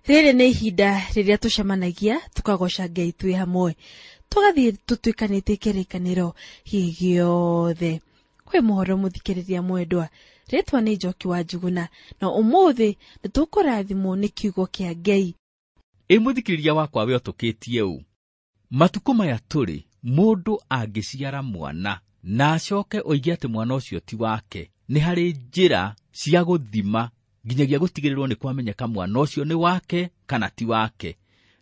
Rĩrĩ nĩ ihinda rĩrĩa tũcemanagia tũkagoca Ngai twĩ hamwe, tũgathiĩ tũtuĩkanĩtie kĩrĩkanĩro gĩothe. Kwĩ mũhoro mũthikĩrĩria mwendwa, rĩtwa nĩ Njoki wa Njuguna, na ũmũthĩ nĩ tũkũrathimwo nĩ kiugo kĩa Ngai. Ĩ mũthikĩrĩria wakwa we ũtũkĩtie ũũ, matukũ maya tũrĩ mũndũ angĩciara mwana na acoke oige atĩ mwana ũcio ti wake, nĩ harĩ njĩra cia gũthima nginyagia gũtigĩrĩrwo nĩ kwamenyeka mwana ũcio nĩ wake kana ti wake.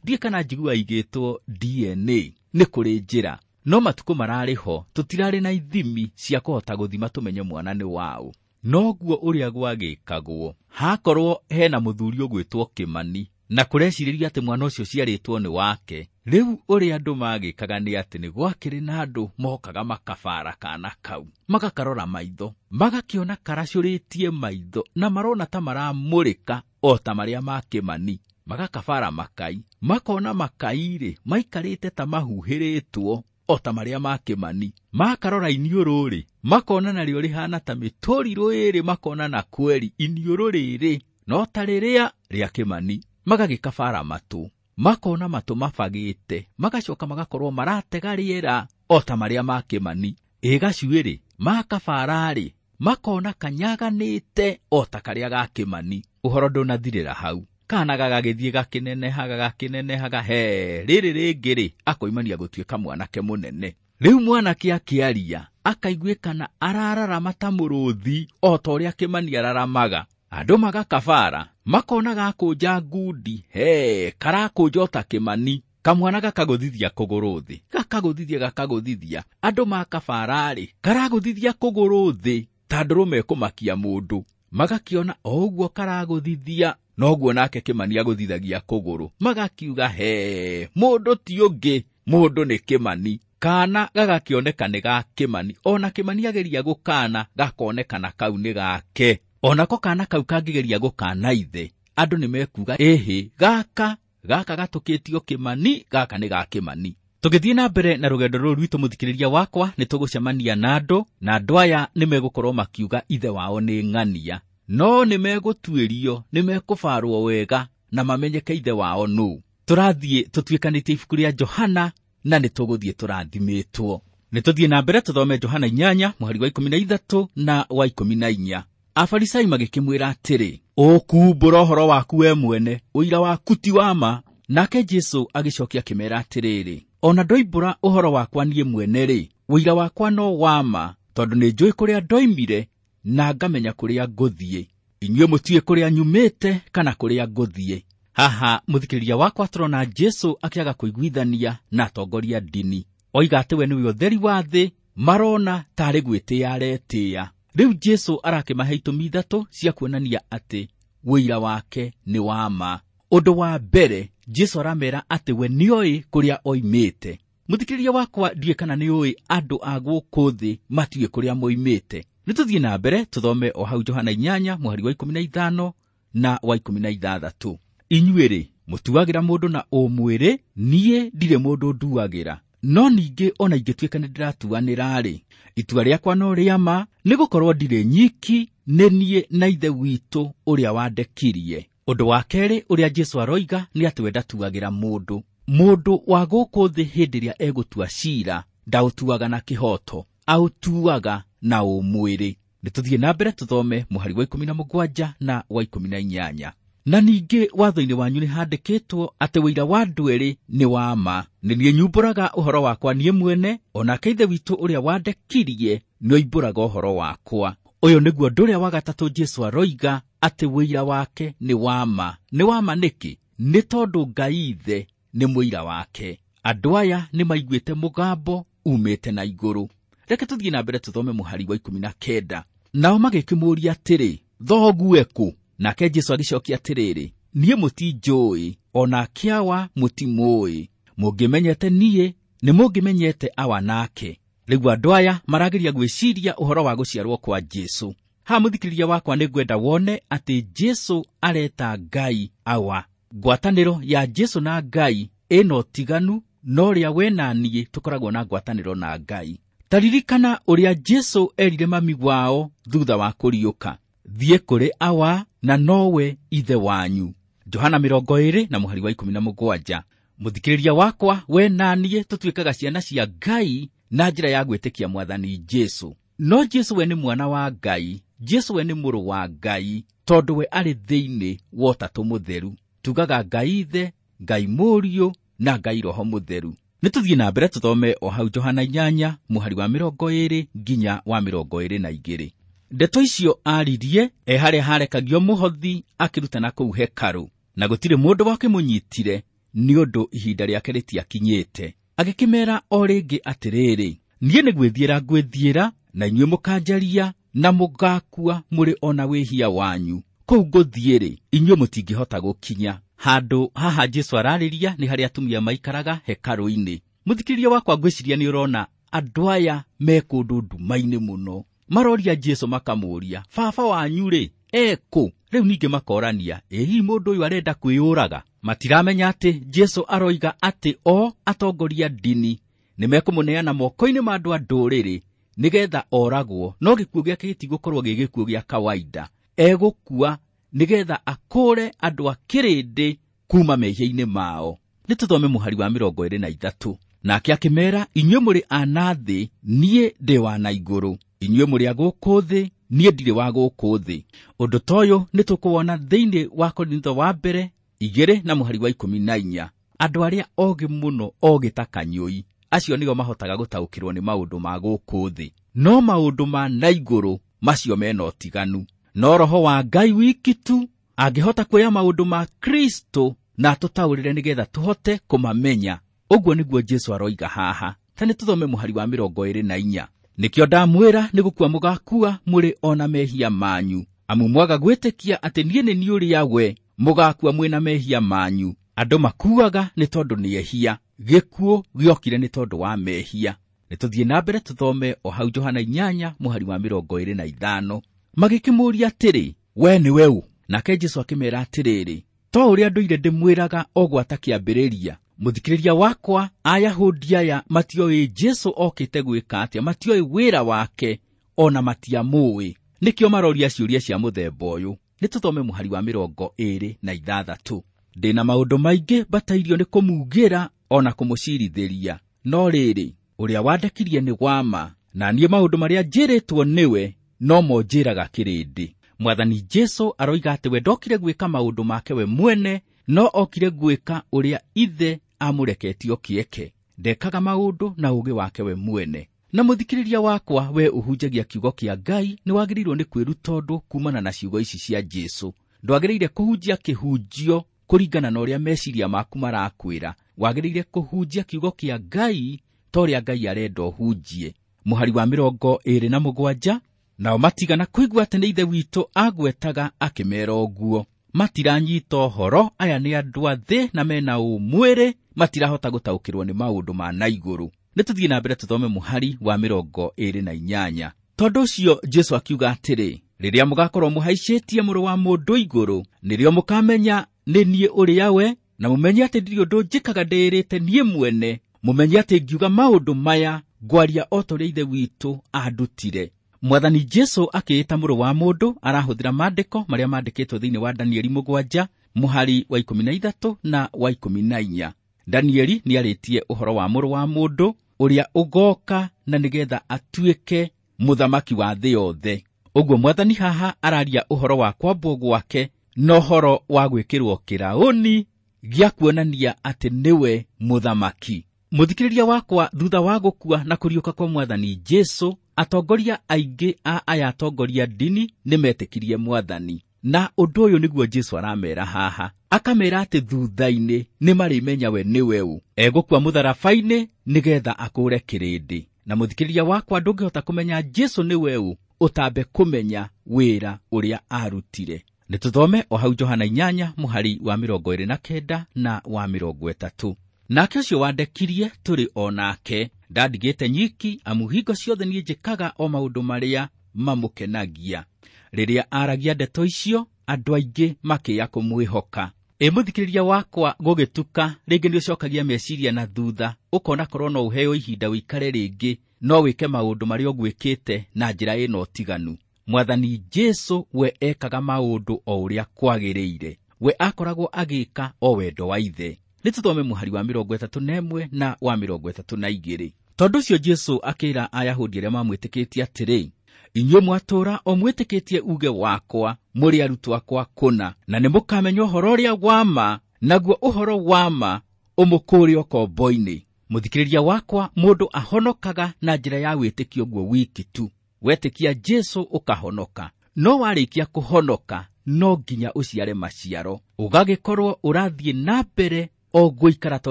Ndiĩ kana njigua igĩtwo DNA, nĩ kũrĩ njĩra. No matukũ mararĩ ho tũtirarĩ na ithimi cia kũhota gũthima tũmenye mwana nĩ waũ. Noguo ũrĩa gwagĩkagwo, hakorwo hena mũthuri ũgwĩtwo Kĩmani na kũrecirĩrio atĩ mwana ũcio ciarĩtwo nĩ wake. Rĩu ũrĩa andũ magĩkaga nĩ atĩ nĩ gwakĩrĩ na andũ mokaga makabara kana kau, magakarora maitho, magakĩona karacũrĩtie maitho na marona ta maramũrĩka o ta marĩa ma Kĩmani. Magakabara makai, makona makai-rĩ maikarĩte ta mahuhĩrĩtwo o ta marĩa ma Kĩmani. Makarora iniũrũ-rĩ, makona narĩo rĩhana ta mĩtũrirũ ĩrĩ, makona na kweri iniũrũ rĩrĩ no ta rĩrĩa rĩa Kĩmani. Magagĩkabara matũ, makona matũ mabagĩte, magacoka magakorwo maratega rĩera o ta marĩa ma Kĩmani. Ĩ gacuĩrĩ makabara-rĩ, makona kanyaganĩte o ta karĩa ga Kĩmani. Ũhoro ndũnathirĩra hau, kana gagagĩthiĩ gakĩnenehaga gakĩnenehaga, he rĩrĩ rĩngĩ-rĩ akoimania gũtuĩka mwanake mũnene. Rĩu mwanake akĩaria akaiguĩkana arararama ta mũrũthi o ta ũrĩa Kĩmani araramaga. Andũ magakabara, makona gakũnja ngundi, he karakũnja o ta Kĩmani. Kamwana gakagũthithia kũgũrũ thĩ, gakagũthithia gakagũthithia. Andũ makabara-rĩ, karagũthithia kũgũrũ thĩ ta ndũrũme ĩkũmakia mũndũ. Magakĩona o ũguo karagũthithia, noguo nake Kĩmani agũthithagia kũgũrũ. Magakiuga he, mũndũ ti ũngĩ, mũndũ nĩ Kĩmani. Kana gagakĩoneka nĩ ga Kĩmani, ona Kĩmani ageria gũkana gakonekana kau nĩ gake. Onako kana kau kangĩgeria gũkana ithe, andũ nĩ mekuga ĩhĩ, gaka gaka gatũkĩtio Kĩmani, gaka nĩ ga Kĩmani. Tũgĩthiĩ na mbere na rũgendo rũrũ rwitũ mũthikĩrĩria wakwa, nĩ tũgũcemania na andũ, na andũ aya nĩ megũkorwo makiuga ithe wao nĩ ng'ania, no nĩ megũtuĩrio, nĩ mekũbarwo wega na mamenyeke ithe wao nũ. Tũrathiĩ tũtuĩkanĩtie ibuku rĩa Johana na nĩ tũgũthiĩ tũrathimĩtwo. Nĩ tũthiĩ na mbere tũthome Johana 8 mũhari wa 13 na wa 14. Afarisai magĩkĩmwĩra atĩrĩ, ũkumbũra ũhoro waku we mwene, ũira waku ti wa ma. Nake Jesũ agĩcokia akĩmeera atĩrĩrĩ, ona ndoimbũra ũhoro wakwa niĩ mwene-rĩ, ũira wakwa no wa ma, tondũ nĩ njũĩ kũrĩa ndoimire na ngamenya kũrĩa ngũthiĩ. Inyuĩ mũtiũĩ kũrĩa nyumĩte kana kũrĩa ngũthiĩ. Haha mũthikĩrĩria wakwa tũrona Jesũ akĩaga kũiguithania na atongoria ndini. Oiga atĩ we nĩwe ũtheri wa thĩ, marona tarĩ gwĩtĩĩa aretĩĩa. Rĩu Jesũ arakĩmahe itũmi ithatũ cia kuonania atĩ ũira wake nĩ wa ma. Ũndũ wa mbere, Jesũ aramera atĩ we nĩoĩ kũrĩa oimĩte. Mũthikĩrĩria wakwa, ndiũĩ kana nĩũĩ andũ a gũkũ thĩ matiũĩ kũrĩa moimĩte. Nĩ tũthiĩ na mbere tũthome o hau Johana 8 mũhari wa 15 na wa 16. Inyuĩ-rĩ, mũtuagĩra mũndũ na ũmwĩrĩ, niĩ ndirĩ mũndũ nduagĩra. No ningĩ ona ingĩtuĩka nĩ ndĩratuanĩra-rĩ, itua rĩakwa no rĩa ma, nĩgũkorwo ndirĩ nyiki, nĩ niĩ na Ithe witũ ũrĩa wandekirie. Ũndũ wa kerĩ ũrĩa Jesũ aroiga nĩ atĩ we ndatuagĩra mũndũ. Mũndũ wa gũkũ thĩ hĩndĩ ĩrĩa egũtua ciira, ndaũtuaga na kĩhooto, aũtuaga na ũmwĩrĩ. Nĩ tũthiĩ na mbere tũthome mũhari wa 17 na wa 18. Na ningĩ watho-inĩ wanyu nĩ handĩkĩtwo atĩ ũira wa andũ erĩ nĩ wa ma. Nĩ niĩ nyumbũraga ũhoro wakwa niĩ mwene, onake Ithe witũ ũrĩa wandekirie nĩoimbũraga ũhoro wakwa. Ũyũ nĩguo ũndũ ũrĩa wa gatatũ Jesũ aroiga atĩ ũira wake nĩ wa ma. Nĩ wa ma nĩkĩ? Nĩ tondũ Ngai Ithe nĩ mũira wake. Andũ aya nĩ maiguĩte mũgambo umĩte na igũrũ. Reke tũthiĩ na mbere tũthome mũhari wa 19. Nao magĩkĩmũũria atĩrĩ, thoguo ekũ? Nake Jesũ agĩcokia atĩrĩrĩ, niĩ mũtinjũĩ, onake Awa mũtimũĩ. Mũngĩmenyete niĩ, nĩ mũngĩmenyete Awa nake. Rĩu andũ aya marageria gwĩciria ũhoro wa gũciarwo kwa Jesũ. Haha mũthikĩrĩria wakwa nĩ ngwenda wone atĩ Jesũ areta Ngai Awa. Ngwatanĩro ya Jesũ na Ngai ĩna ũtiganu na ũrĩa we na niĩ tũkoragwo na ngwatanĩro na Ngai. Ta ririkana ũrĩa Jesũ erire mami wao thutha wa kũriũka, thiĩ kũrĩ Awa na nowe Ithe wanyu. Johana 20 na mũhari wa 17. Mũthikĩrĩria wakwa, we na niĩ tũtuĩkaga ciana cia Ngai na njĩra ya gwĩtĩkia Mwathani Jesu. No Jesu we nĩ mwana wa Ngai, Jesu we nĩ mũrũ wa Ngai, tondũ we arĩ thĩinĩ wa Ũtatũ Mũtheru. Tugaga Ngai Ithe, Ngai Mũriũ na Ngai Roho Mũtheru. Nĩ tũthiĩ na mbere tũthome o hau Johana 8 mũhari wa 20 nginya wa 22. Ndeto icio aaririe e harĩa harekagio mũhothi akĩrutana kũu hekarũ, na gũtirĩ mũndũ wakĩmũnyitire nĩ ũndũ ihinda rĩake rĩtiakinyĩte. Agĩkĩmeera o rĩngĩ atĩrĩrĩ, niĩ nĩ gwĩthiĩra ngwĩthiĩra, na inyuĩ mũkanjaria na mũgakua mũrĩ o na wĩhia wanyu. Kũu ngũthiĩ-rĩ, inyuĩ mũtingĩhota gũkinya. Handũ haha Jesu ararĩria nĩ harĩa atumia maikaraga hekarũ-inĩ. Mũthikĩrĩria wakwa, ngwĩciria nĩ ũrona andũ aya me kũndũ nduma-inĩ mũno. Maroria Jesu makamũũria, baba wanyu-rĩ, ekũ? Rĩu ningĩ makorania, ĩ hihi mũndũ ũyũ arenda kwĩyũraga? Matiramenya atĩ Jesu aroiga atĩ o atongoria ndini nĩ mekũmũneana moko-inĩ ma andũ a ndũrĩrĩ nĩgetha oragwo, no gĩkuũ gĩake gĩtigũkorwo gĩ gĩkuũ gĩa kawaida. Egũkua nĩgetha akũre andũ a kĩrĩndĩ kuma mehia-inĩ mao. Nĩ tũthome mũhari wa 23. Nake akĩmeera, inyuĩ mũrĩ a na thĩ, niĩ ndĩ wa na igũrũ. Inyuĩ mũrĩ a gũkũ thĩ, niĩ ndirĩ wa gũkũ thĩ. Ũndũ ta ũyũ nĩ tũkũwona thĩinĩ wa Korintho wa mbere 2 na mũhari wa 14. Andũ arĩa ogĩ mũno, ogĩ ta kanyũi, acio nĩo mahotaga gũtaũkĩrwo nĩ maũndũ ma gũkũ thĩ, no maũndũ ma na igũrũ macio mena ũtiganu. No Roho wa Ngai wiki tu angĩhota kuoya maũndũ ma Kristo na atũtaũrĩre nĩgetha tũhote kũmamenya. Ũguo nĩguo Jesu aroiga haha. Ta nĩ tũthome mũhari wa 24. Nĩkĩo ndamwĩra nĩ gũkua mũgakua mũrĩ o na mehia manyu, amu mwaga gwĩtĩkia atĩ niĩ nĩ niĩ ũrĩa we, mũgakua mwĩ na mehia manyu. Andũ makuaga nĩ tondũ nĩ ehia, gĩkuũ gĩokire nĩ tondũ wa mehia. Nĩ tũthiĩ na mbere tũthome o hau Johana 8 mũhari wa 25. Magĩkĩmũũria atĩrĩ, we nĩwe ũ? Nake Jesu akĩmeera atĩrĩrĩ, to ũrĩa ndũire ndĩmwĩraga o gwata kĩambĩrĩria. Mũthikĩrĩria wakwa, Ayahudi aya matioĩ Jesu okĩte gwĩka atĩa, matioĩ wĩra wake, ona matiamũĩ. Nĩkĩo maroria ciũria cia mũthemba ũyũ. Nĩ tũthome mũhari wa 26. Ndĩna maũndũ maingĩ mbatairio nĩ kũmugĩra ona kũmũcirithĩria, no rĩrĩ, ũrĩa wandekirie nĩ wa ma, na niĩ maũndũ marĩa njĩrĩtwo nĩwe no mo njĩraga kĩrĩndĩ. Mwathani Jesu aroiga atĩ we ndokire gwĩka maũndũ make we mwene, no okire gwĩka ũrĩa Ithe amũreketie kĩeke. Ndekaga maũndũ na ũũgĩ wake we mwene. Na mũthikĩrĩria wakwa, we ũhunjagia kiugo kĩa Ngai, nĩ wagĩrĩirwo nĩ kwĩruta ũndũ kumana na ciugo ici cia Jesu. Ndwagĩrĩire kũhunjia kĩhunjio kũringana na ũrĩa meciria maku marakwĩra. Wagĩrĩire kũhunjia kiugo kĩa Ngai ta ũrĩa Ngai arenda ũhunjie. Mũhari wa 27. Nao matigana kũigua atĩ nĩ Ithe witũ agwetaga akĩmeera ũguo. Matiranyita ũhoro, aya nĩ andũ a thĩ na mena ũmwĩrĩ, matirahota gũtaũkĩrwo nĩ maũndũ ma na igũrũ. Nĩ tũthiĩ na mbere tũthome mũhari wa 28. Tondũ ũcio Jesu akiuga atĩrĩ, rĩrĩa mũgakorwo mũhaicĩtie Mũrũ wa Mũndũ igũrũ, nĩrĩo mũkamenya nĩ niĩ ũrĩa we, na mũmenye atĩ ndirĩ ũndũ njĩkaga ndĩĩrĩte niĩ mwene, mũmenye atĩ ngiuga maũndũ maya ngwaria o ta ũrĩa Ithe witũ andutire. Mwathani Jesu akĩĩta Mũrũ wa Mũndũ arahũthĩra maandĩko marĩa maandĩkĩtwo thĩinĩ wa Danieli 7 mũhari wa 13 na wa 14. Danieli nĩarĩtie ũhoro wa Mũrũ wa Mũndũ ũrĩa ũgoka na nĩgetha atuĩke mũthamaki wa thĩ yothe. Ũguo Mwathani haha araria ũhoro wa kwambwo gwake na ũhoro wa gwĩkĩrwo kĩraũni gĩa kuonania atĩ nĩwe mũthamaki. Mũthikĩrĩria wakwa, thutha wa gũkua na kũriũka kwa Mwathani Jesu, atongoria aingĩ a aya atongoria ndini nĩ metĩkirie Mwathani. Na ũndũ ũyũ nĩguo Jesu aramera haha. Akamera atĩ thutha-inĩ nĩ marĩmenya we nĩwe ũ. Egũkua mũtharaba-inĩ nĩgetha akũre kĩrĩndĩ. Na mũthikĩrĩria wakwa, ndũngĩhota kũmenya Jesu nĩwe ũ ũtambe kũmenya wĩra ũrĩa arutire. Nĩ tũthome o hau Johana 8 mũhari wa 29 na wa 30. Nake ũcio wandekirie tũrĩ o nake, ndandigĩte nyiki, amu hingo ciothe niĩ njĩkaga o maũndũ marĩa mamũkenagia. Rĩrĩa aragia ndeto icio, andũ aingĩ makĩya kũmwĩhoka. Ĩ mũthikĩrĩria wakwa, gũgĩtuka rĩngĩ nĩ ũcokagia meciria na thutha, ũkona korwo no ũheo ihinda ũikare rĩngĩ, no wĩke maũndũ marĩa ũgwĩkĩte na njĩra ĩna ũtiganu. Mwathani Jesu we ekaga maũndũ o ũrĩa kwagĩrĩire. We akoragwo agĩka o wendo wa ithe. Nĩ tũthome mũhari wa 31 na wa 32. Tondũ ũcio Jesũ akĩra Ayahudi arĩa mamwĩtĩkĩtie atĩrĩ, inyuĩ mwatũũra o mwĩtĩkĩtie uge wakwa, mũrĩ arutwo akwa kũna, na nĩ mũkamenya ũhoro ũrĩa wa ma, naguo ũhoro wa ma ũmũkũũre ũkombo-inĩ. Mũthikĩrĩria wakwa, mũndũ ahonokaga na njĩra ya wĩtĩkio guo wiki tu. Wetĩkia Jesũ ũkahonoka, no warĩkia kũhonoka no nginya ũciare maciaro, ũgagĩkorwo ũrathiĩ na mbere o gũikara ta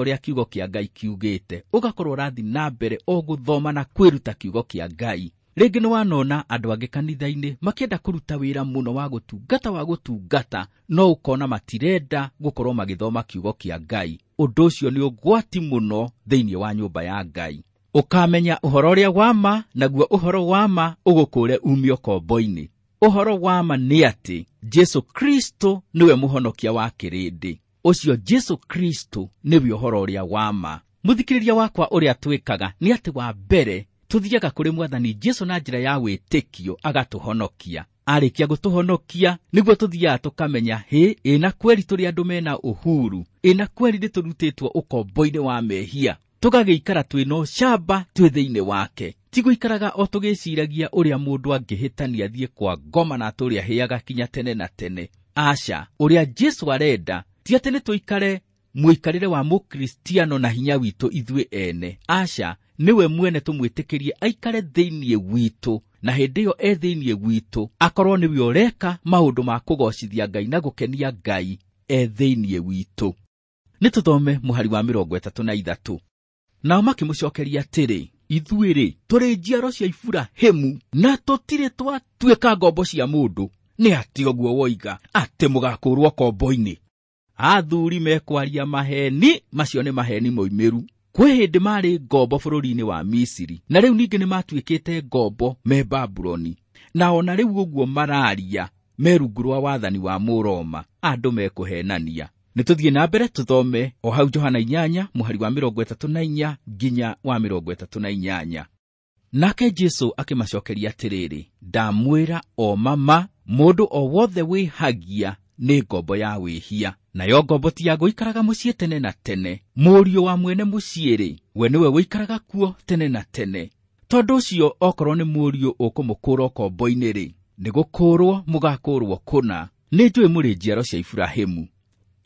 ũrĩa kiugo kĩa Ngai kiugĩte, ũgakorwo ũrathiĩ na mbere o gũthoma na kwĩruta kiugo kĩa Ngai. Rĩngĩ nĩ wanona andũ angĩ kanitha-inĩ makĩenda kũruta wĩra mũno wa gũtungata, no ũkona matirenda gũkorwo magĩthoma kiugo kĩa Ngai. Ũndũ ũcio nĩ ũgwati mũno thĩinĩ wa nyũmba ya Ngai. Ũkamenya ũhoro ũrĩa wa ma, naguo ũhoro wa ma ũgũkũũre ume ũkombo-inĩ. Ũhoro wa ma nĩ atĩ Jesũ Kristo nĩwe mũhonokia wa kĩrĩndĩ. Ũcio Jesũ Kristo nĩwe ũhoro ũrĩa wa ma. Mũthikĩrĩria wakwa, ũrĩa twĩkaga nĩ atĩ wa mbere tũthiaga kũrĩ Mwathani Jesũ na njĩra ya wĩtĩkio agatũhonokia. Arĩkia gũtũhonokia nĩguo tũthiaga tũkamenya hĩ, ĩna kweri tũrĩ andũ mena ũhuru, ĩna kweri nĩ tũrutĩtwo ũkombo-inĩ wa mehia, tũgagĩikara twĩna ũcamba twĩ thĩinĩ wake. Ti gũikaraga o tũgĩciragia ũrĩa mũndũ angĩhĩtania athiĩ kwa ngoma na atũrĩa hĩaga kinya tene na tene. Aca, ũrĩa Jesũ arenda ti atĩ nĩ tũikare mũikarĩre wa mũkristiano na hinya witũ ithuĩ ene. Aca, nĩwe mwene tũmwĩtĩkĩrie aikare thĩinĩ witũ, na hĩndĩ ĩyo e thĩinĩ witũ akorwo nĩwe ũreka maũndũ ma kũgocithia Ngai na gũkenia Ngai e thĩinĩ witũ. Nĩ tũthome mũhari wa 33. Nao makĩmũcokeria atĩrĩ, ithuĩ-rĩ tũrĩ njiaro cia Iburahĩmu na tũtirĩ twatuĩka ngombo cia mũndũ. Nĩ atĩ ũguo woiga atĩ mũgakũũrwo ũkombo-inĩ? Athuri mekwaria maheni, macio nĩ maheni moimĩru. Kwĩ hĩndĩ marĩ ngombo bũrũri-inĩ wa Misiri, na rĩu ningĩ nĩ matuĩkĩte ngombo me Babuloni, na ona rĩu ũguo mararia me rungu rwa wathani wa Mũroma. Andũ mekũhenania. Nĩ tũthiĩ na mbere tũthome o hau Johana 8 mũhari wa 34 nginya wa 38. Nake Jesũ akĩmacokeria atĩrĩrĩ, ndamwĩra o mama, mũndũ o wothe wĩhagia nĩ ngombo ya wĩhia, nayo ngombo ti ya gũikaraga mũciĩ tene na tene. Mũriũ wa mwene mũciĩ-rĩ, we nĩwe ũikaraga kuo tene na tene. Tondũ ũcio okorwo nĩ mũriũ ũkũmũkũũra ũkombo-inĩ-rĩ, nĩ gũkũũrwo mũgakũũrwo kũna. Nĩ njũĩ mũrĩ njiaro cia Iburahĩmu,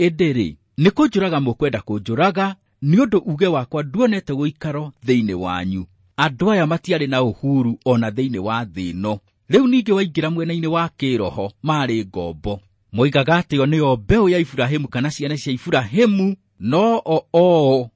ĩndĩ-rĩ nĩ kũnjũraga mũkwenda kũnjũraga, nĩ ũndũ uge wakwa nduonete gũikaro thĩinĩ wanyu. Andũ aya matiarĩ na ũhuru ona thĩinĩ wa thĩ ĩno. Rĩu ningĩ waingĩra mwena-inĩ wa kĩroho marĩ ngombo. Moigaga atĩ o nĩo mbeũ ya Iburahĩmu kana ciana cia Iburahĩmu, no o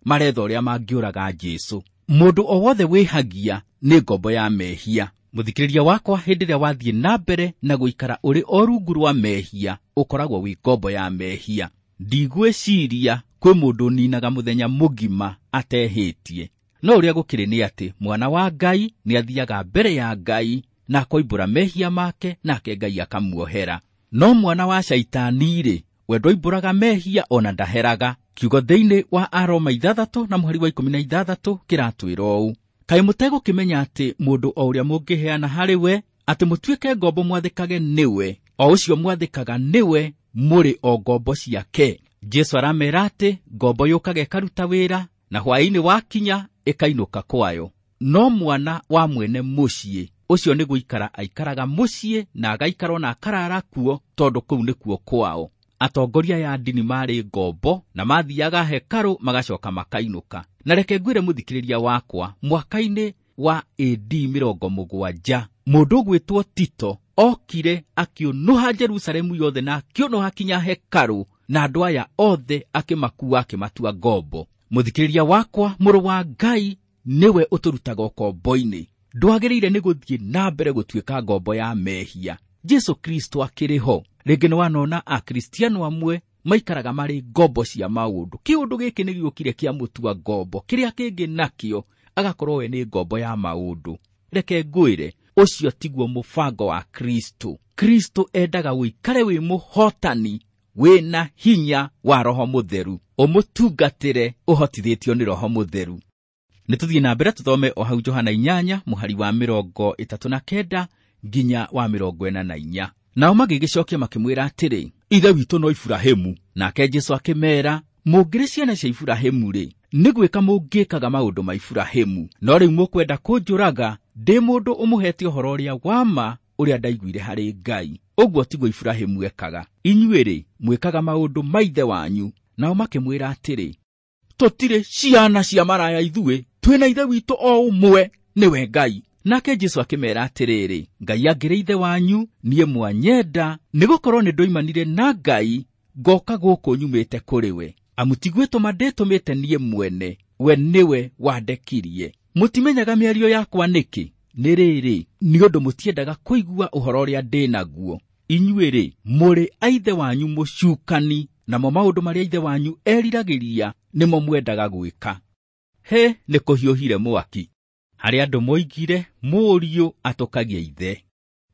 maretha ũrĩa mangĩũraga Jesũ. Mũndũ o wothe wĩhagia nĩ ngombo ya mehia. Mũthikĩrĩria wakwa, hĩndĩ ĩrĩa wathiĩ na mbere na gũikara ũrĩ o rungu rwa mehia, ũkoragwo wĩ ngombo ya mehia. Ndigwĩciria kwĩ mũndũ ũninaga mũthenya mũgima atehĩtie. No ũrĩa gũkĩrĩ nĩ atĩ mwana wa Ngai nĩ athiaga mbere ya Ngai na akoimbũra mehia make, nake Ngai akamuohera. No mwana wa Shaitani-rĩ, we ndoimbũraga mehia ona ndaheraga. Kiugo thĩinĩ wa Aroma 6 na mũhari wa 16 kĩratwĩra ũũ, kaĩ mũtegũkĩmenya atĩ mũndũ o ũrĩa mũngĩheana harĩ we atĩ mũtuĩke ngombo mwathĩkage nĩwe, o ũcio mwathĩkaga nĩwe, mũrĩ o ngombo ciake. Jesũ aramera atĩ ngombo yũkaga ĩkaruta wĩra na hwaĩ-inĩ wakinya ĩkainũka kwayo. No mwana wa mwene mũciĩ ũcio nĩ gũikara aikaraga mũciĩ na agaikara na akarara kuo, tondũ kũu nĩkuo kwao. Atongoria ya ndini marĩ ngombo na mathiaga hekarũ magacoka makainũka. Na reke ngwĩre mũthikĩrĩria wakwa, mwaka-inĩ wa AD 70 mũndũ ũgwĩtwo Tito okire akĩũnũha Jerusalemu yothe na akĩũnũha kinya hekarũ, na andũ aya othe akĩmakua akĩmatua ngombo. Mũthikĩrĩria wakwa, mũrũ wa Ngai nĩwe ũtũrutaga ũkombo-inĩ. Ndwagĩrĩire nĩ gũthiĩ na mbere gũtuĩka ngombo ya mehia. Jesũ Kristo akĩrĩ ho. Rĩngĩ nĩ wanona Akristiano amwe maikaraga marĩ ngombo cia maũndũ. Kĩũndũ gĩkĩ nĩ gĩũkire kĩa mũtua ngombo, kĩrĩa kĩngĩ nakĩo agakorwo we nĩ ngombo ya maũndũ. Reke ngwĩre, ũcio tiguo mũbango wa Kristo. Kristo endaga ũikare wĩ mũhotani, wĩna hinya wa Roho Mũtheru, ũmũtungatĩre ũhotithĩtio nĩ Roho Mũtheru. Nĩ tũthiĩ na mbere tũthome o hau Johana 8 mũhari wa 39 nginya wa 44. Nao magĩgĩcokia makĩmwĩra atĩrĩ, ithe witũ no Iburahĩmu. Nake Jesũ akĩmeera, mũngĩrĩ ciana cia Iburahĩmu rĩ, nĩ gwĩka mũngĩkaga maũndũ ma Iburahĩmu. No rĩu mũkwenda kũnjũraga ndĩ mũndũ ũmũhete ũhoro ũrĩa wa ma ũrĩa ndaiguire harĩ Ngai. Ũguo tiguo Iburahĩmu ekaga. Inyuĩ rĩ, mwĩkaga maũndũ ma ithe wanyu. Nao makĩmwĩra atĩrĩ, tũtirĩ ciana cia maraya ithuĩ, twĩna ithe witũ o ũmwe, nĩwe Ngai. Nake Jesũ akĩmeera atĩrĩrĩ, Ngai angĩrĩ ithe wanyu, niĩ mwanyenda, nĩgũkorwo nĩndoimanire na Ngai, ngoka gũkũ nyumĩte kũrĩ we. Amu ti gwĩtũma ndĩtũmĩte niĩ mwene, we nĩwe wandekirie. Mũtimenyaga mĩario yakwa nĩkĩ? Nĩ rĩrĩ, nĩ ũndũ mũtiendaga kũigua ũhoro ũrĩa ndĩ naguo. Inyuĩ rĩ, mũrĩ a ithe wanyu mũcukani, namo maũndũ marĩa ithe wanyu eriragĩria nĩmo mwendaga gwĩka. He, nĩ kũhiũhire mwaki. Harĩ andũ moigire mũriũ atũkagia ithe.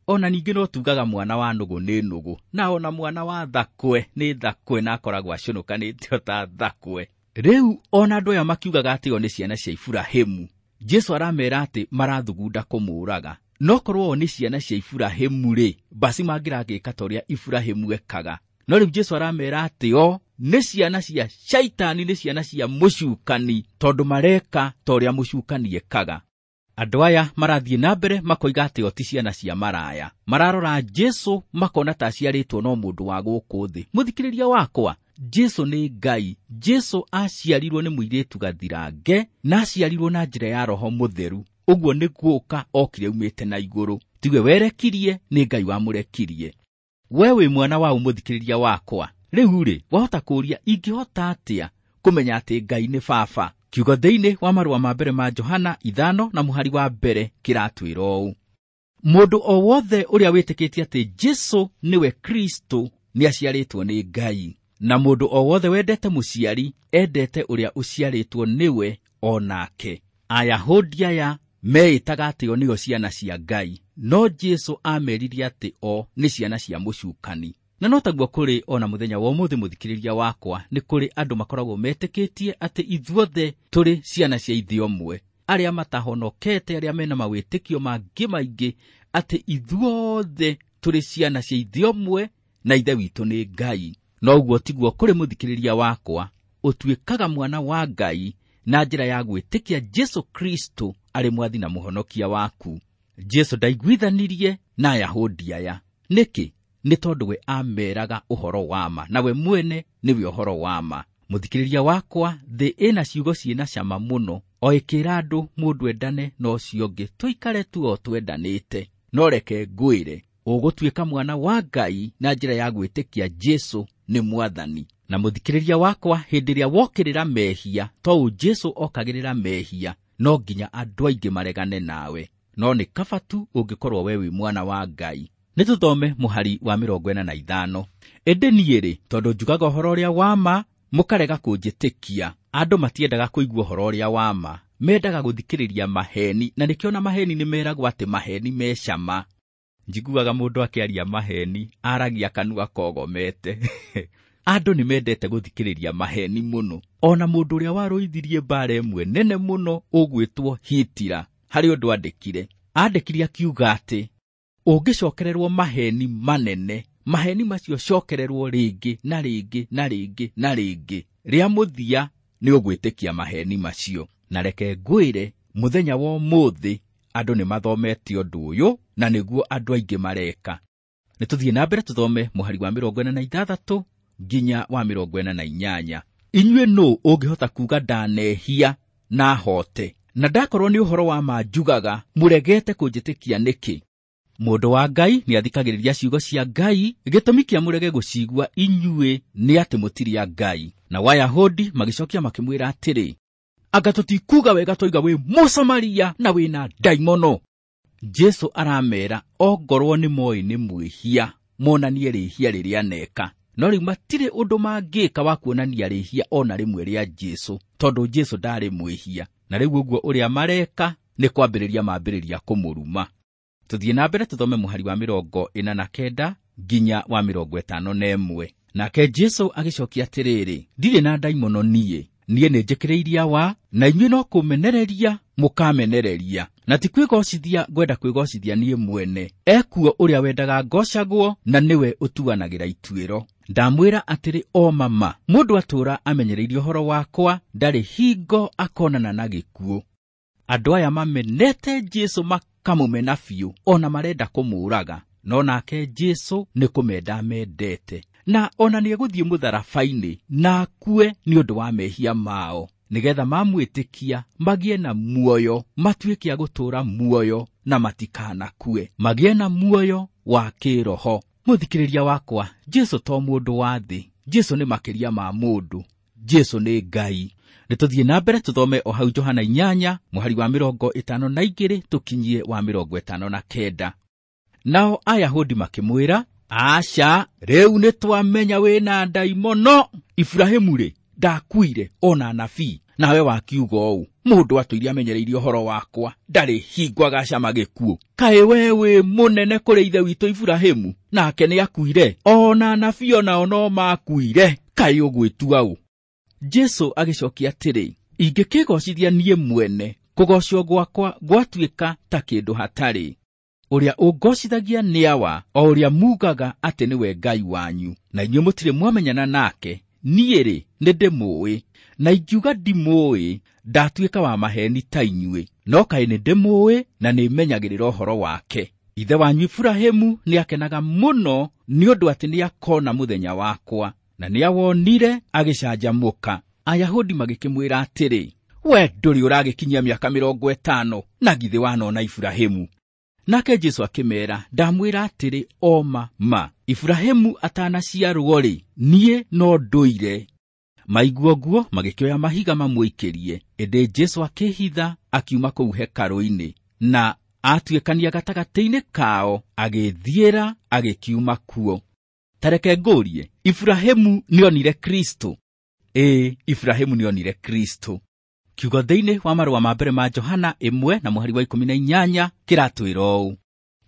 Ona ningĩ no tugaga mwana wa nũgũ nĩ nũgũ, na ona mwana wa thakwe nĩ thakwe, na akoragwo acũnũkanĩte o ta thakwe. Rĩu ona andũ aya makiugaga atĩ o nĩ ciana cia Iburahĩmu, Jesũ aramera atĩ marathugunda kũmũũraga. No korwo o nĩ ciana cia Iburahĩmu rĩ, basi mangĩragĩka ta ũrĩa Iburahĩmu ekaga. No rĩu Jesũ aramera atĩ o nĩ ciana cia Shaitani, nĩ ciana cia mũcukani, tondũ mareka ta ũrĩa mũcukani ekaga. Andũ aya marathiĩ na mbere makoiga atĩ o ti ciana cia maraya. Mararora Jesũ makona ta aciarĩtwo no mũndũ wa gũkũ thĩ. Mũthikĩrĩria wakwa, Jesũ nĩ Ngai. Jesũ aciarirwo nĩ mũirĩtu gathirange, na aciarirwo na njĩra ya Roho Mũtheru. Ũguo nĩ gũka okire aumĩte na igũrũ. Tiwe werekirie, nĩ Ngai wamũrekirie. We wĩ mwana wa mũthikĩrĩria wakwa. Rĩu rĩ, wahota kũũria ingĩhota atĩa kũmenya atĩ Ngai nĩ baba? Kiugo thĩinĩ wa marũa ma mbere ma Johana 5 na mũhari wa mbere kĩratwĩra ũũ: mũndũ o wothe ũrĩa wĩtĩkĩtie atĩ Jesũ nĩwe Kristo nĩaciarĩtwo nĩ Ngai, na mũndũ o wothe wendete mũciari endete ũrĩa ũciarĩtwo nĩwe o nake. Ayahudi aya meĩtaga atĩ o nĩo ciana cia Ngai, no Jesũ ameririe atĩ o nĩ ciana cia mũcukani. Na no taguo kũrĩ ona mũthenya wa ũmũthĩ, mũthikĩrĩria wakwa, nĩ kũrĩ andũ makoragwo metĩkĩtie atĩ ithuothe tũrĩ ciana cia ithe ũmwe, arĩa matahonokete, arĩa mena mawĩtĩkio mangĩ maingĩ, atĩ ithuothe tũrĩ ciana cia ithe ũmwe na ithe witũ nĩ Ngai. No ũguo tiguo kũrĩ, mũthikĩrĩria wakwa. Ũtuĩkaga mwana wa Ngai na njĩra ya gwĩtĩkia Jesũ Kristo arĩ mwathi na mũhonokia waku. Jesũ ndaiguithanirie na Ayahudi aya. Nĩkĩ? Nĩ tondũ we ameraga ũhoro wa ma, na we mwene nĩwe ũhoro wa ma. Mũthikĩrĩria wakwa, thĩ ĩna ciugo ciĩna cama mũno, o ĩkĩra andũ mũndũ endane na ũcio ũngĩ, tũikare tu o twendanĩte. No reke ngwĩre, ũgũtuĩka mwana wa Ngai na njĩra ya gwĩtĩkia Jesũ nĩ mwathani. Na mũthikĩrĩria wakwa, hĩndĩ ĩrĩa wokĩrĩra mehia, to ũ Jesũ okagĩrĩra mehia, no nginya andũ aingĩ maregane nawe. No nĩ kaba tu ũngĩkorwo we wĩ mwana wa Ngai. Nĩ tũthome mũhari wa 45. Ĩndĩ niĩ rĩ, tondũ njugaga ũhoro ũrĩa wa ma, mũkarega kũnjĩtĩkia. Andũ matiendaga kũigua ũhoro ũrĩa wa ma, mendaga gũthikĩrĩria maheni, na nĩkĩo na maheni nĩ meragwo atĩ maheni me cama. Njiguaga mũndũ akĩaria maheni, aragia kanua kogomete. Andũ nĩ mendete gũthikĩrĩria maheni mũno. Ona mũndũ ũrĩa warũithirie mbara ĩmwe nene mũno ũgwĩtwo Hitler, harĩ ũndũ andĩkire. Andĩkire akiuga atĩ ũngĩcokererwo maheni manene, maheni macio cokererwo rĩngĩ na rĩngĩ na rĩngĩ na rĩngĩ, rĩa mũthia nĩ ũgwĩtĩkia maheni macio. Na reke ngwĩre, mũthenya wa ũmũthĩ andũ nĩ mathomete ũndũ ũyũ, na nĩguo andũ aingĩ mareka. Nĩ tũthiĩ na mbere tũthome mũhari wa 46 nginya wa 48. Inyuĩ nũ ũngĩhota kuuga ndanehia na hote? Na ndakorwo nĩ ũhoro wa ma njugaga, mũregete kũnjĩtĩkia nĩkĩ? Mũndũ wa Ngai nĩathikagĩrĩria ciugo cia Ngai, gĩtũmi kĩa mũrege gũcigua inyuĩ nĩ atĩ mũtirĩ a Ngai. Nao Ayahudi magĩcokia makĩmwĩra atĩrĩ, anga tũtikuuga wega twoiga wĩ Mũsamaria na wĩna ndaimono? Jesũ aramera ongorwo nĩ moĩ nĩ mwĩhia, monanie rĩhia rĩrĩa aneka. No rĩu matirĩ ũndũ mangĩka wa kuonania rĩhia ona rĩmwe rĩa Jesũ, tondũ Jesũ ndarĩ mwĩhia. Na rĩu ũguo ũrĩa mareka nĩ kwambĩrĩria mambĩrĩria kũmũruma. Tũthiĩ na mbere tũthome mũhari wa 49 nginya wa 51. Nake Jesũ agĩcokia atĩrĩrĩ, ndirĩ na ndaimono niĩ, niĩ nĩnjĩkĩrĩirie awa, na inyuĩ no kũmenereria mũkamenereria. Na ti kwĩgocithia ngwenda kwĩgocithia niĩ mwene, ekuo ũrĩa wendaga ngocagwo na nĩwe ũtuanagĩra ituĩro. Ndamwĩra atĩrĩ o mama, mũndũ atũũra amenyereirie ũhoro wakwa ndarĩ hingo akonana na gĩkuũ. Andũ aya mamenete Jesũ makamũmena biũ, ona marenda kũmũũraga, no nake Jesũ nĩ kũmenda amendete, na ona nĩegũthiĩ mũtharaba-inĩ na akue nĩ ũndũ wa mehia mao, nĩgetha mamwĩtĩkia magĩe na muoyo, matuĩke a gũtũũra muoyo na matikanakue, magĩe na muoyo wa kĩroho. Mũthikĩrĩria wakwa, Jesũ to mũndũ wa thĩ, Jesũ nĩ makĩria ma mũndũ, Jesũ nĩ Ngai. Nĩ tũthiĩ na mbere tũthome o hau Johana 8 mũhari wa 52 tũkinyie wa 59. Nao Ayahudi makĩmwĩra, aca, rĩu nĩ twamenya wĩna ndaimono. Iburahĩmu-rĩ, ndakuire ona anabii, nawe wakiuga ũũ, mũndũ atũire amenyereirie ũhoro wakwa ndarĩ hingo agacama gĩkuũ. Kaĩ we wĩ mũnene kũrĩ ithe witũ Iburahĩmu, nake nĩakuire, ona anabii onao no makuire, kaĩ ũgwĩtua ũ? Jesũ agĩcokia atĩrĩ, ingĩkĩgocithia niĩ mwene, kũgocwo gwakwa gwatuĩka ta kĩndũ hatarĩ. Ũrĩa ũngocithagia nĩ Awa, o ũrĩa mugaga atĩ nĩwe Ngai wanyu, na inyuĩ mũtirĩ mwamenyana nake. Niĩ-rĩ, nĩndĩmũũĩ, na ingiuga ndimũũĩ, ndatuĩka wa maheni ta inyuĩ, no kaĩ nĩndĩmũũĩ na nĩmenyagĩrĩra ũhoro wake. Ithe wanyu Iburahĩmu nĩakenaga mũno nĩ ũndũ atĩ nĩakona mũthenya wakwa, na nĩawonire agĩcanjamũka. Ayahudi magĩkĩmwĩra atĩrĩ, we ndũrĩ ũragĩkinyia mĩaka 50, na githĩ wanona Iburahĩmu? Nake Jesũ akĩmeera, ndamwĩra atĩrĩ o ma ma, Iburahĩmu atanaciarwo-rĩ, niĩ no ndũire. Maigua ũguo magĩkĩoya mahiga mamũikĩrie, ĩndĩ Jesũ akĩhitha akiuma kũu hekarũ-inĩ, na atuĩkania gatagatĩ-inĩ kao, agĩthiĩra agĩkiuma kuo. Tareke ngũrie, Iburahĩmu nĩonire Kristo? Ĩĩ, Iburahĩmu nĩonire Kristo. Kiugo thĩinĩ wa marũa ma mbere ma Johana 1 na mũhari wa 18 kĩratwĩra ũũ,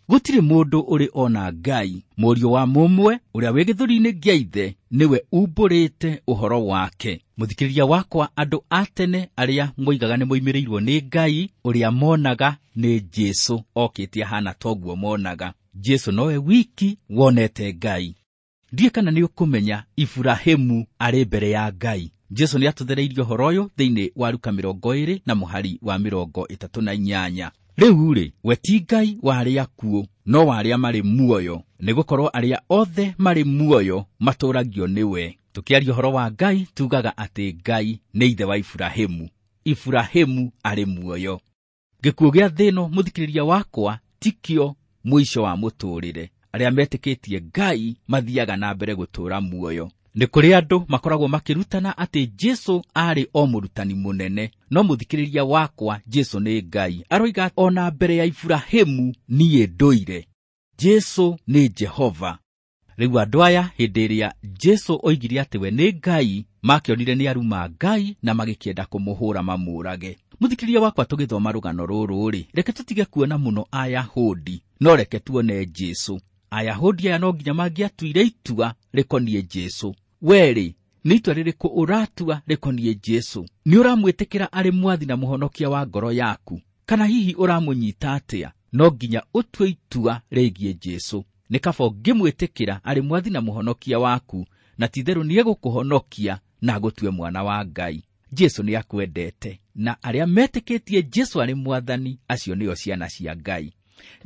gũtirĩ mũndũ ũrĩ ona Ngai, mũriũ wa mũmwe ũrĩa wĩ gĩthũri-inĩ kĩa ithe nĩwe umbũrĩte ũhoro wake. Mũthikĩrĩria wakwa, andũ a tene arĩa moigaga nĩ moimĩrĩirwo nĩ Ngai, ũrĩa monaga nĩ Jesũ okĩte ahana toguo monaga. Jesũ nowe wiki wonete Ngai. Ndiĩ kana nĩ ũkũmenya Iburahĩmu arĩ mbere ya Ngai. Jesũ nĩatũthereirie ũhoro ũyũ thĩinĩ wa Luka 20 na mũhari wa 38. Rĩu-rĩ, we ti Ngai wa arĩa akuũ, no wa arĩa marĩ muoyo, nĩgũkorwo arĩa othe marĩ muoyo matũũragio nĩwe. Tũkĩaria ũhoro wa Ngai, tugaga atĩ Ngai nĩ ithe wa Iburahĩmu. Iburahĩmu arĩ muoyo. Gĩkuũ gĩa thĩ ĩno, mũthikĩrĩria wakwa, tikĩo mũico wa mũtũũrĩre. Arĩa metĩkĩtie Ngai mathiaga na mbere gũtũũra muoyo. Nĩ kũrĩ andũ makoragwo makĩrutana atĩ Jesũ aarĩ o mũrutani mũnene, no mũthikĩrĩria wakwa, Jesũ nĩ Ngai. Aroiga ona mbere ya Iburahĩmu niĩ ndũire. Jesũ nĩ Jehova. Rĩu andũ aya hĩndĩ ĩrĩa Jesũ oigire atĩ we nĩ Ngai, makĩonire nĩ aruma Ngai na magĩkĩenda kũmũhũra mamũũrage. Mũthikĩrĩria wakwa, tũgĩthoma rũgano rũrũ-rĩ, reke tũtige kuona mũno Ayahudi, no reke tuone Jesũ. Ayahudi aya no nginya mangĩatuire itua rĩkoniĩ Jesũ. We-rĩ, nĩ itua rĩrĩkũ ũratua rĩkoniĩ Jesũ? Nĩ ũramwĩtĩkĩra arĩ mwathi na mũhonokia wa ngoro yaku? Kana hihi ũramũnyita atĩa? No nginya ũtue itua rĩgiĩ Jesũ. Nĩ kaba ũngĩmwĩtĩkĩra arĩ mwathi na mũhonokia waku, na ti-itherũ nĩegũkũhonokia na agũtue mwana wa Ngai. Jesũ nĩakwendete, na arĩa metĩkĩtie Jesũ arĩ mwathani, acio nĩo ciana cia Ngai.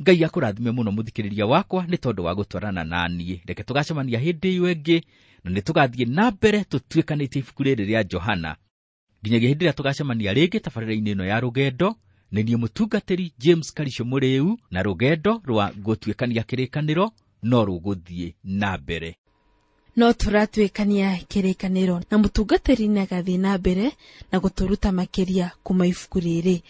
Ngai akũrathime mũno mũthikĩrĩria wakwa nĩ tondũ wa gũtwarana na niĩ. Reke tũgacemania hĩndĩ ĩyo ĩngĩ, na nĩ tũgathiĩ na mbere tũtuĩkanĩtie ibuku rĩrĩ rĩa Johana. Nginyagia hĩndĩ ĩrĩa tũgacemania rĩngĩ tabarĩra-inĩ ĩno ya rũgendo, nĩ niĩ mũtungatĩri James Karisho Mũrĩu, na rũgendo rwa gũtuĩkania kĩrĩkanĩro no rũgũthiĩ na mbere. No tũratuĩkania kĩrĩkanĩro na mũtungatĩri nĩagathiĩ na mbere na gũtũruta makĩria kuma ibuku rĩrĩ.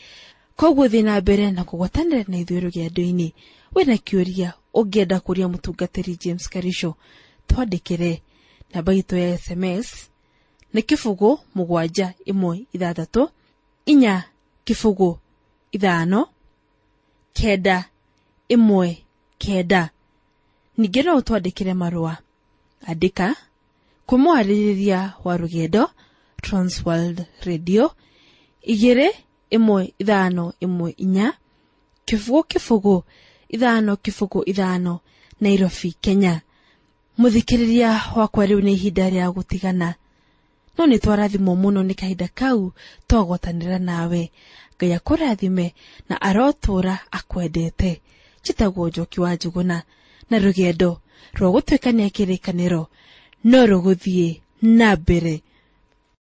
Koguo thiĩ na mbere na kũgwatanĩra na ithuĩ rũgendo-inĩ. Wĩna kĩũria ũngĩenda kũria mũtungatĩri James Karisho, twandĩkĩre. Namba itũ ya SMS nĩ 0 7 1 6 4 0 5 9 1 9. Ningĩ no ũtwandĩkĩre marũa. Andĩka kwĩ mwarĩrĩria wa rũgendo Transworld Radio 2 1 5 1 4 0 0 5 0 5, Nairobi, Kenya. Mũthikĩrĩria wakwa, rĩu nĩ ihinda rĩa gũtigana, no nĩ twarathimwo mũno nĩ kahinda kau twagwatanĩra nawe. Ngai akũrathime na arotũũra akwendete. Njĩtagwo Njoki wa Njũgũna, na rũgendo rwa gũtuĩkania kĩrĩkanĩro no rũgũthiĩ na mbere.